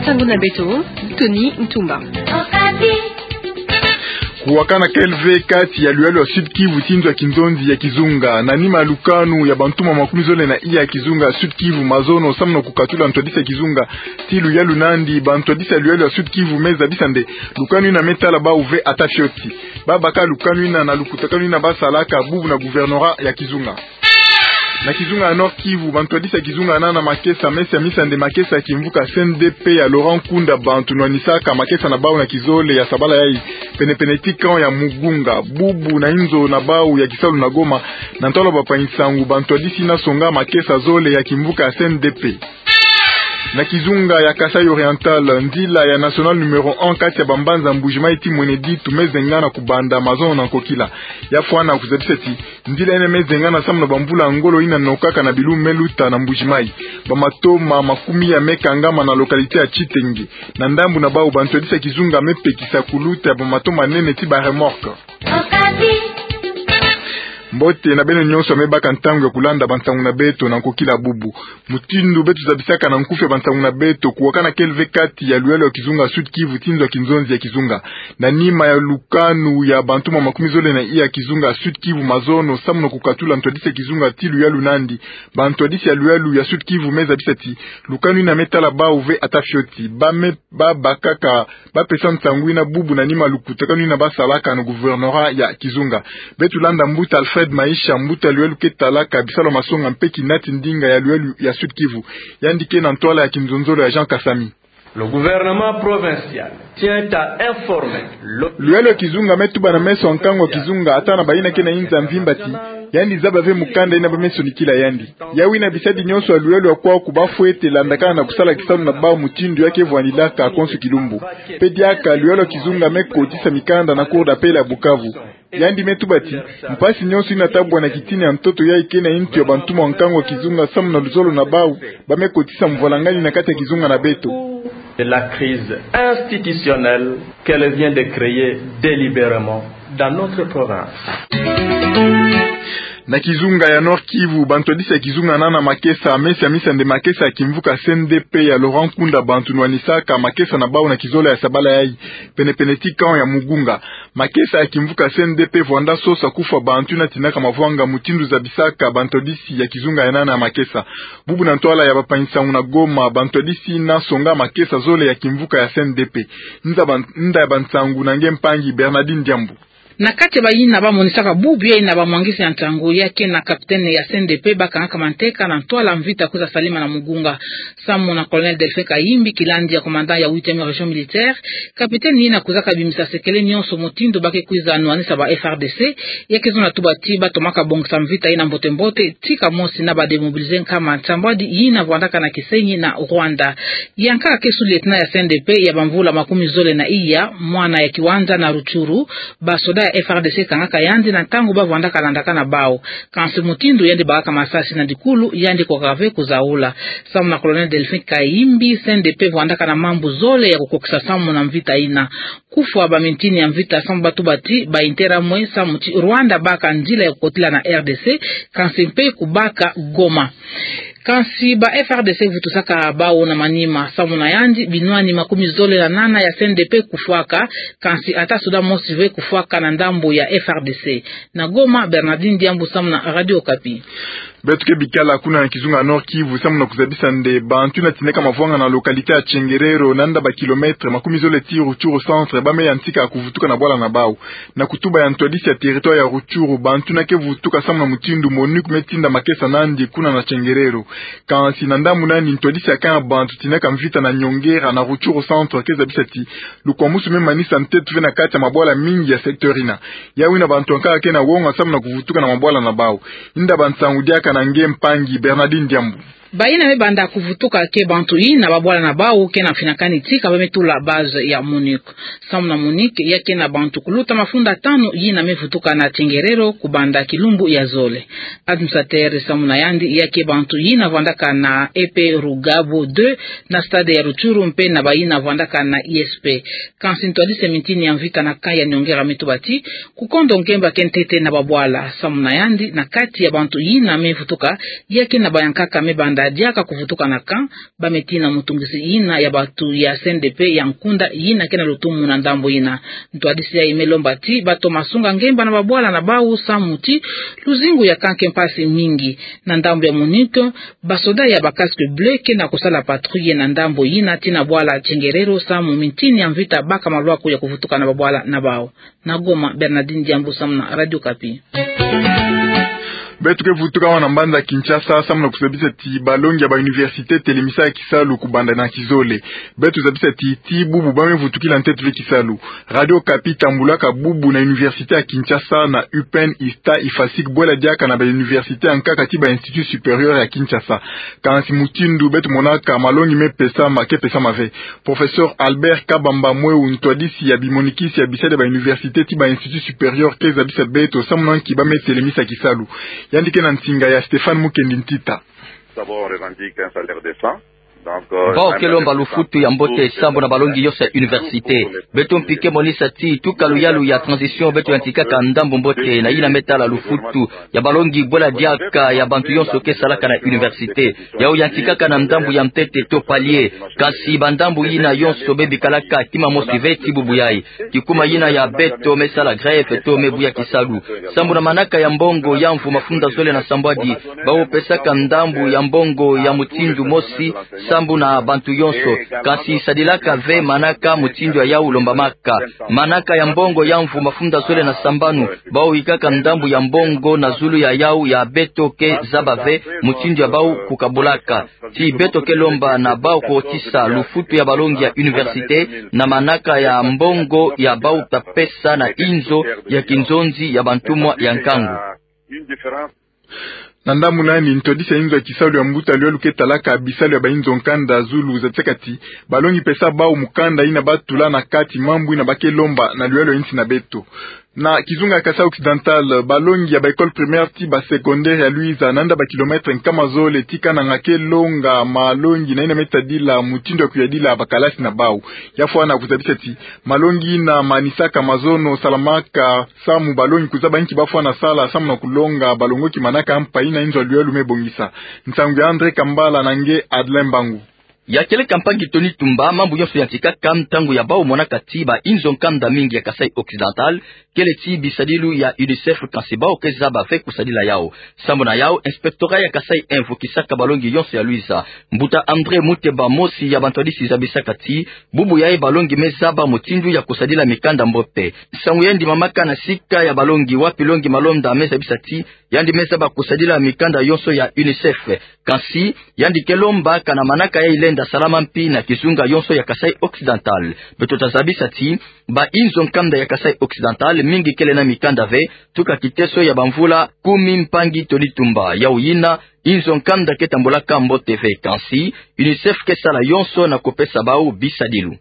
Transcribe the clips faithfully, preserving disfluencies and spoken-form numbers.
Nsangu na beto, Tony Ntumba. Kuwakana kele ve kati ya luyalu ya Sud-Kivu ti nzo ya kinzonzi ya kizunga. Na nima ya lukanu ya bantuma makumi zole na iya ya kizunga ya Sud-Kivu mazono samu na kukatula ntwadisi ya kizunga ti luyalu nandi, bantwadisi ya luyalu ya Sud-Kivu me zabisa nde lukanu yina me tala bawu ve ata fioti. Ba baka lukanu yina na lukutakanu yina ba salaka bubu na gouvernorat ya kizunga. Na kizunga ya Nord-Kivu, bantwadisi ya kizunga nana makesa me siamisa nde makesa ya kimvuka C N D P ya Laurent Nkunda Bantu nwanisaka makesa na bawu na kizole ya sabala yayi, penepene ti camp ya Mugunga, bubu na inzo na bawu ya kisalu na Goma, na ntwala ya bapa nsangu, bantwadisi yina songa makesa zole ya kimvuka ya C N D P. Na kizunga ya Kasaï Oriental, nzila ya nationale numéro un kati ya bambanza Mbuji-Mayi ti Mweneditu me zengana kubanda mazono na nkokila. Ya fwana kuzabisa ti nzila yina me zengana samu na bamvula ngolo yina nokaka na bilumbu me luta na Mbuji-Mayi. Bamatoma makumi ya me kangama na localité ya Tshitenge. Na ndambu na bawu, bantwadisi ya kizunga me pekisa kuluta ya bamatoma nene ti ba remorque. Mbote na beno nyonso ya me baka ntangu ya kulanda bansangu na beto na nkokila bubu. Mutindu beto zabisaka na nkufi ya bansangu na beto, kuwakana kele ve kati ya luyalu ya kizunga Sud-Kivu ti nzo ya kinzonzi ya kizunga. Na nima ya lukanu ya bantuma makumi zole na iya ya kizunga Sud-Kivu mazono samu na kukatula ntwadisi ya kizunga ti luyalu nandi, bantwadisi ya luyalu ya Sud-Kivu me zabisa ti lukanu yina me tala bawu ve ata fioti. Ba me, ba bakaka ba pesa nsangu yina bubu na nima ya lukutakanu yina ba salaka na gouvernorat ya kizunga. Beto landa mbuta Alfred Maisha, mbuta luyalu ke talaka bisalu ya masonga mpe kinati ndinga ya luyalu ya Sud-Kivu. Yandi ke na ntwala ya kinzonzolo ya Jean Kasami. Le gouvernement provincial tient à informer le... Luyalu ya kizunga me tuba na meso ya nkangu ya kizunga, ata na bayina ke na inza mvimba ti yandi zaba ve mukanda yina ba me sonikila yandi. Yawu yina bisadi nyonso ya luyalu ya kwaku ba fwete landakana na kusala kisalu na bawu mutindu ya ke vwanilaka konso kilumbu. Mpe diaka luyalu ya kizunga me kotisa mikanda na Cour d'appel ya Bukavu. Yandi me tuba ti mpasi nyonso yina ta bwana kitini ya ntoto yayi ke na yintu ya bantuma ya nkangu ya kizunga samu na luzolo na bawu, ba me kotisa mvwalangani na kati ya kizunga na beto. De la crise institutionnelle qu'elle vient de créer délibérément dans notre province. Na kizunga ya Nord-Kivu, bantwadisi ya kizunga nana makesa me siamisa nde makesa ya kimvuka C N D P ya Laurent Nkunda Bantu nwanisaka makesa na bawu na kizole ya sabala yayi, penepene ti camp ya Mugunga. Makesa ya kimvuka C N D P vwanda sosa kufwa bantu yina tinaka mavwanga, mutindu zabisaka bantwadisi ya kizunga ya nana makesa. Bubu na ntwala ya bapa nsangu na Goma, bantwadisi yina songa makesa zole ya kimvuka ya C N D P. Nza ban-, nda ya bansangu na nge mpangi Bernardine Diambu. Na kati ya bayina ba monisaka bubu yayina bamwangisi ya nsangu, ya ke na capitaine ya C N D P ba kangaka manteka na ntwala mvita kwiza salima na Mugunga. Samu na colonel Delphin Kayimbi, kilandi ya commandant ya huitième région militaire, capitaine yina kwizaka bimisa sekele nyonso mutindu ba ke kwiza nwanisa ba F R D C, ya ke zonza tuba ti ba tomaka bongisa mvita yina mbote-mbote, ti kamosi na ba démobiliser nkama nsambwadi yina vwandaka na kisenyi na Rwanda. Yankaka ke sous-lieutenant ya C N D P ya bamvula makumi zole na iya, mwana ya kiwanja na Rutshuru, basoda ya F R D C kangaka yandi na ntangu ba vwandaka landaka na bawu. Kansi mutindu yandi bakaka masasi na dikulu, yandi kwakaka ve kuzaula. Samu na colonel Delphin Kayimbi, C N D P vwandaka na mambu zole ya kukokisa samu na mvita yina. Kufwa bamintini ya mvita samu ba tuba ti ba intérêt mwe, samu ti Rwanda baka nzila ya kukotila na R D C, kansi mpe kubaka Goma. Kansi ba F R D C vutusaka bawu na manima, samu na yandi binwani makumi zole na nana ya C N D P kufwaka, kansi ata soda mosi ve kufwaka na ndambu ya F R D C. Na Goma, Bernardine Diambu samu na Radio Okapi. Beto ke bikala kuna na kizunga Nord-Kivu samu na kuzabisa nde bantu yina tinaka mavwanga na localité ya Tchengerero, na nda ba kilomètre makumi zole ti Rutshuru centre, ba me yantika kuvutuka na bwala na bawu. Na kutuba ya ntwadisi ya territoire ya Rutshuru, bantu yina ke vutuka samu na mutindu MONUC me tinda makesa nandi kuna na Tchengerero. Kansi na ndambu nani, ntwadisi ya camp ya bantu tinaka mvita na Nyongera na Rutshuru centre ke zabisa ti lukwamusu me manisa ntetu ve na kati ya mabwala mingi ya secteur yina. Yawu yina bantu yankaka ke na wonga samu na kuvutuka na mabwala na bawu. Nda ya bansangu diaka na nge mpangi Bernardine Diambu. Bayina me banda kuvutuka ke bantu yina babwala na bawu ke na mfinakani tika ba me tula base ya MONUC. Samu na MONUC, ya ke na bantu kuluta mafunda tanu yina me vutuka na Tchengerero kubanda kilumbu ya zole. Administrateur samu na yandi ya ke bantu yina vwandaka na E P Rugabo deux, na stade ya Rutshuru mpe na bayina vwandaka na I S P. Kansi ntwadisi ya mintini ya mvita na camp ya Nyongera me tuba ti kukondo nkemba ke ntete na babwala. Samu na yandi, na kati ya bantu yina me vutuka, ya ke na bayankaka me banda diaka kuvutuka na camp, ba me tina mutungisi yina ya bantu ya C N D P ya nkunda yina ke na lutumu na ndambu yina. Ntwadisi yayi me lomba ti bato masunga ngemba na babwala na bawu samu ti luzingu ya camp ke mpasi mingi. Na ndambu ya MONUC, basoda ya ba casque bleu ke na kusala patrouille na ndambu yina ti na bwala Tchenguerero samu mintini ya mvita baka malwaku ya kuvutuka na babwala na bawu. Na Goma, Bernardine Diambu samu na Radio Okapi. Beto ke vutuka awa na mbanza Kinshasa samu na kuzabisa ti balongi ya ba université telemisa kisalu kubanda na kizole. Beto zabisa ti, ti bubu ba me vutukila ntete ve kisalu. Radio Okapi tambulaka bubu na université ya Kinshasa, na U P N, ISTA, IFASIC, bwela diaka na ba université ya nkaka ti ba Institut Supérieur ya Kinshasa. Kansi mutindu beto monaka malongi me pesama, ke pesama ve. Professeur Albert Kabamba Mweu, ntwadisi ya bimonikisi ya bisadi ya ba université ti ba Institut Supérieur, ke zabisa beto samu na nki ba me telemisa kisalu. Yandi ke na nsinga ya Stéphane Mukendi Ntita. D'abord, on revendique un salaire décent. Donc, euh, bawu ke lomba lufutu ya mbote sambu na balongi yonso ya université. Beto mpi ke monisa ti tuka luyalu ya transition beto yantikaka ndambu mbote na yina me tala lufutu ya balongi bwela diaka ya bantu yonso ke salaka na université. Yawu yantikaka na ndambu ya ntete to palier. Kansi ba ndambu yina yonso me bikalaka kima mosi ve ti bubu yayi. Kikuma yina ya beto me sala grève to me buya kisalu. Sambu na manaka ya mbongo ya mvu mafunda zole na sambwadi, bawu pesaka ndambu ya mbongo ya mutindu mosi sambu na bantu yonso. Kansi sadilaka ve manaka mutindu ya yawu lombamaka. Manaka ya mbongo ya mvu mafunda zole na sambanu, bawu yikaka ndambu ya mbongo na zulu ya yawu ya beto ke zaba ve mutindu ya bawu kukabulaka. Ti beto ke lomba na bawu kukotisa lufutu ya balongi ya université na manaka ya mbongo ya bawu ta pesa na inzo ya kinzonzi ya bantumwa ya nkangu. Na ndambu na yandi, ntwadisi ya inzo ya kisalu ya mbuta luyalu ke talaka bisalu ya ba inzo nkanda zulu zatisaka ti balongi pesa bawu mukanda yina ba tula na kati mambu yina ba ke lomba na luyalu ya insi na beto. Na kizunga ya Kasaï Occidental, balongi ya ba école primaire ti ba secondaire ya Luiza, na yinda ba kilomètre nkama zole ti Kananga, ke longa malongi na yina me tadila mutindu ya kuyadila ba kalasi na bawu. Ya fwana kuzabisa ti malongi yina manisaka mazono salamaka samu balongi kuzaba nki ba fwana sala samu na kulonga balongoki manaka mpa yina inzo ya luyalu me bongisa. Nsangu ya André Kambala na nge Adelin Mbangu. Ya kieleka mpangi Tony Tumba, mambu yonso yantikaka ntangu ya bawu monaka ti ba inzo nkanda mingi ya Kasaï Occidental kele ti bisadilu ya UNICEF, kansi bawu ke zaba ve kusadila yawu. Sambu na yawu, inspectorat ya Kasaï un vukisaka balongi yonso ya Luiza. Mbuta André Muteba, mosi ya bantwadisi, zabisaka ti bubu yayi balongi me zaba mutindu ya kusadila mikanda mbote. Nsangu yayi ndimamaka na sika ya balongi wapi longi malonda me zabisa ti yandi me zaba kusadila mikanda yonso ya UNICEF. Kansi yandi ke lomba kana manaka yayi lenda salama mpi na kizunga yonso ya Kasaï Occidental. Beto ta zabisa ti ba inzo nkanda ya Kasaï Occidental mingi kele na mikanda ve, tuka kiteso ya bamvula kumi. Mpangi Tony Tumba, yawu yina inzo nkanda ke tambulaka mbote ve, kansi UNICEF ke sala yonso na kupesa bawu bisadilu.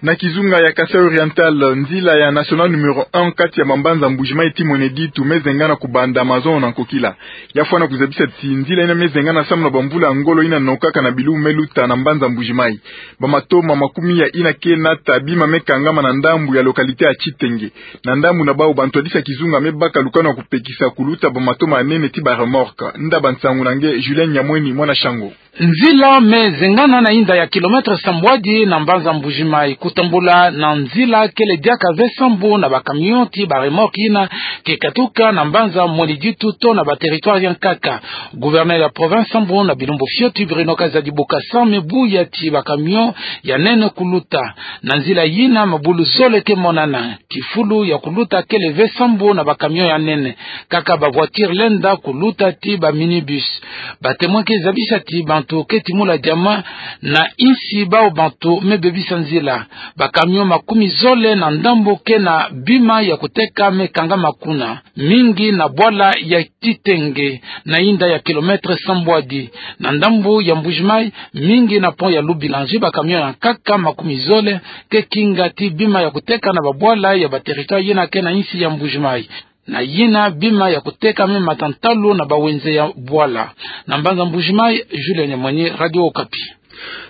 Na kizunga ya Kasaï Oriental, nzila ya nationale numéro un kati ya bambanza Mbuji-Mayi ti Mweneditu me zengana kubanda mazono na nkokila. Ya fwana kuzabisa ti nzila yina me zengana samu na bamvula ya ngolo yina nokaka na bilu me luta na mbanza Mbuji-Mayi. Bamatoma makumiya yina ke nata bima me kangama na ndambu ya localité ya Tshitenge. Na ndambu na bawu, bantwadisi ya kizunga me baka lukanu ya kupekisa kuluta bamatoma ya nene ti ba remorque. Nda bansangu na nge Julien Nyamweni, mwana Shango. Nzila me zengana na yinda ya kilomètre sambwadi na mbanza Mbuji-Mayi. Kutambula na nzila kele diaka ve sambu na ba camion ti ba remorque yina ke katuka na mbanza Mweneditu to na ba territoire ya nkaka. Gouverneur ya province sambu na bilumbu fioti, Bruno Kazadi Bokassa, me buya ti ba camion ya nene kuluta. Na nzila yina mabulu zole ke monana. Kifulu ya kuluta kele ve sambu na ba camion ya nene, kaka ba voiture lenda kuluta ti ba minibus. Ba témoin ke zabisa ti bantu ke timula diama na insi bawu bantu me bebisa nzila. Ba camion makumi zole na ndambu ke na bima ya kuteka me kangama kuna, mingi na bwala ya Tshitenge, na yinda ya kilomètre sambwadi. Na ndambu ya Mbuji-Mayi, mingi na pont ya Lubulangyi, ba camion ya nkaka makumi zole ke kinga ti bima ya kuteka na babwala ya ba territoire yina ke na insi ya Mbuji-Mayi. Na yina bima ya kuteka me mata ntalu na bawenze ya bwala. Na mbanza Mbuji-Mayi, Julien Nyamweni, Radio Okapi.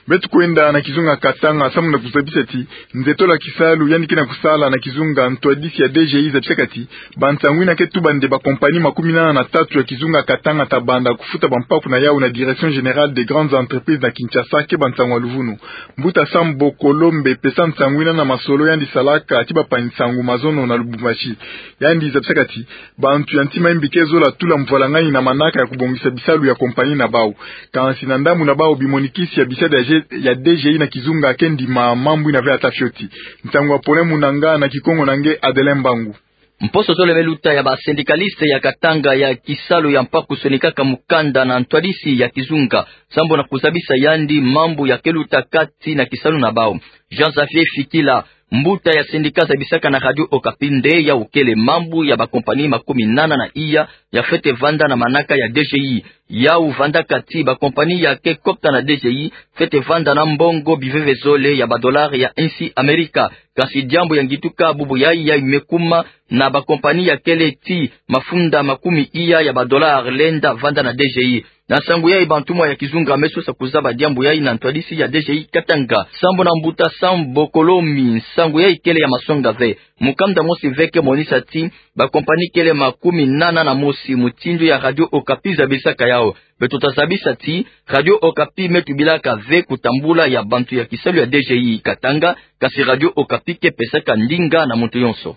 Beto kwenda na kizunga Katanga, samu na kuzabisa ti nzetola kisalu yandi ke na kusala na kizunga, ntwadisi ya D G I zabisaka ti bansangu ina ke tuba nde bakompani makumi nana na tatu ya kizunga Katanga ta banda kufuta bampaku na yawu na Direction Générale des Grandes Entreprises na Kinshasa, ke bansangu ya luvunu. Mbuta Sambo Kolombe pesa nsangu ina na masolo yandi salaka ti bapangi nsangu mazono na Lubumbashi. Yandi zabisaka ti bantu ya ntima ya mbi ke zola tula mvwalangani na manaka ya kubongisa bisalu ya kompani na bawu. Kansi na ndambu na bawu, bimonikisi ya bisalu ya D G I na kizunga ke ndima mambu ina ve ata fioti. Nsangu ya pole mu nanga na Kikongo na nge Adelin Mbangu. Mposo zole me luta ya ba syndicalistes ya Katanga ya kisalu ya mpaku sonikaka mukanda na ntwadisi ya kizunga, sambu na kuzabisa yandi mambu ya ke luta kati na kisalu na bawu. Jean Xavier Fikila, mbuta ya syndicat, zabisaka na Radio Okapi nde yawu kele mambu ya bakompani makumi nana na iya ya fwete vanda na manaka ya D G I. Yawu vandaka ti bakompani ya ke kota na D G I fwete vanda na mbongo biveve zole ya badollars ya insi Amerika. Kansi diambu ya ngituka bubu yayi, yayi me kuma na bakompani ya kele ti mafunda makumi iya ya badollars lenda vanda na D G I. Na nsangu yayi, bantumwa ya kizunga me sosa kuzaba diambu yayi na ntwadisi ya D G I Katanga. Sambu na mbuta Sambo Kolomi, nsangu yayi kele ya masonga ve. Mukanda mosi ve ke monisa ti bakompani kele makumi nana na mosi, mutindu ya Radio Okapi zabisaka yawu. Beto ta zabisa ti Radio Okapi me tubilaka ve kutambula ya bantu ya kisalu ya D G I Katanga, kansi Radio Okapi ke pesaka ndinga na muntu yonso.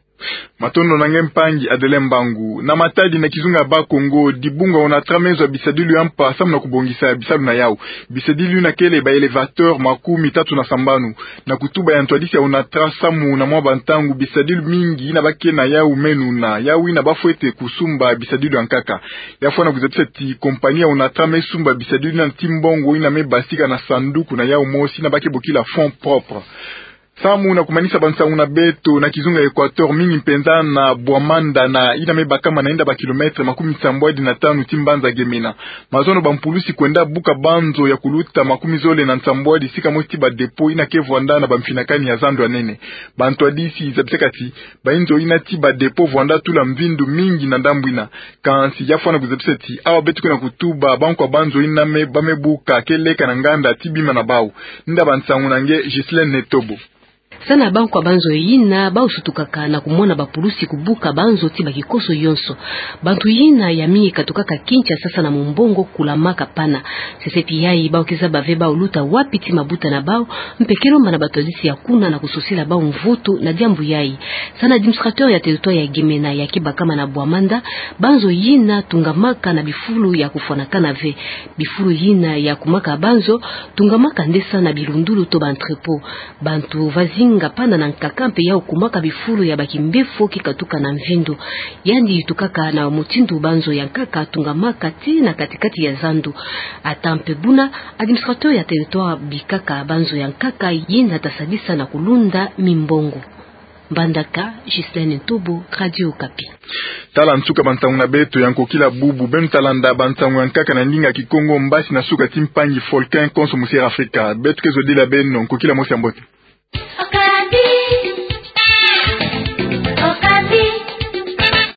Matondo na nge mpangi Adelin Mbangu. Na Matadi, na kizunga ya Bas-Congo, dibunga ONATRA me zwa bisadilu ya mpa samu na kubongisa bisalu na yawu. Bisadilu ina kele ba élévateurs makumi tatu na sambanu. Na kutuba ya ntwadisi ya ONATRA samu na mwa bantangu, bisadilu mingi ina ba ke na yawu me nuna, yawu ina ba fwete kusumba bisadilu ya nkaka. Ya fwana kuzabisa ti kompani ya ONATRA me sumba bisadilu ina ti mbongo ina me basika na sanduku na yawu mosi ina ba ke bokila fonds propres. Samu na kumanisa bansangu na beto, na kizunga Equateur, mingi mpenza na Bouamanda, na ina me bakama na inda ba kilomètres makumi nsambwadi na tanu ti mbanza Gemena, mazono bampulusi kwenda buka banzo ya kuluta makumi zole na nsambwadi sika mosi ti ba dépôts ina ke vwanda na bamfinakani ya zandu ya nene. Bantwadisi zabisaka ti bayinzo ina ti ba dépôts vwanda tula mvindu mingi na ndambu ina. Kansi ya fwana kuzabisa ti awa beto ke na kutuba, bankwa banzo ina me, ba me buka ke leka na nganda ti bima na bawu. Nda bansangu na nge Ghislaine Netobo. Sa na bankwa banzo ina, bawu sutukaka na kumona bapulusi kubuka banzo ti bakikoso yonso. Bantu ina ya mingi katukaka Kinshasa sa na mumbongo kulamaka pana. Sese ti yayi, bawu ke zaba ve bawu luta wapi ti mabuta na bawu, mpe ke lomba na batwadisi ya kuna na kususila bawu mvutu na diambu yayi. Sa na administrateur ya territoire ya Gemena ya ke bakama na Bouamanda, banzo ina tungamaka na bifulu ya kufwanakana ve. Bifulu ina ya kumaka banzo tungamaka nde sa na bilundulu to ba entrepôt. Bantu va zinga pana na nkaka mpe yawu kumaka bifulu ya bakimbevo ke katuka na mvindu. Yandi tukaka na mutindu banzo ya nkaka tungamaka ti na kati-kati ya zandu. Ata mpe buna, administrateur ya territoire bikaka banzo ya nkaka ina ta sadisa na kulunda mimbongo. Mbandaka, Ghislaine Ntobo, Radio Okapi. Tala nsuka bansangu na beto ya nkokila bubu. Beno ta landa bansangu ya nkaka na ndinga Kikongo mbasi na suka ti mpangi Volcan konso Musiera Afrika. Beto ke zodila beno nkokila mosi ya mbote.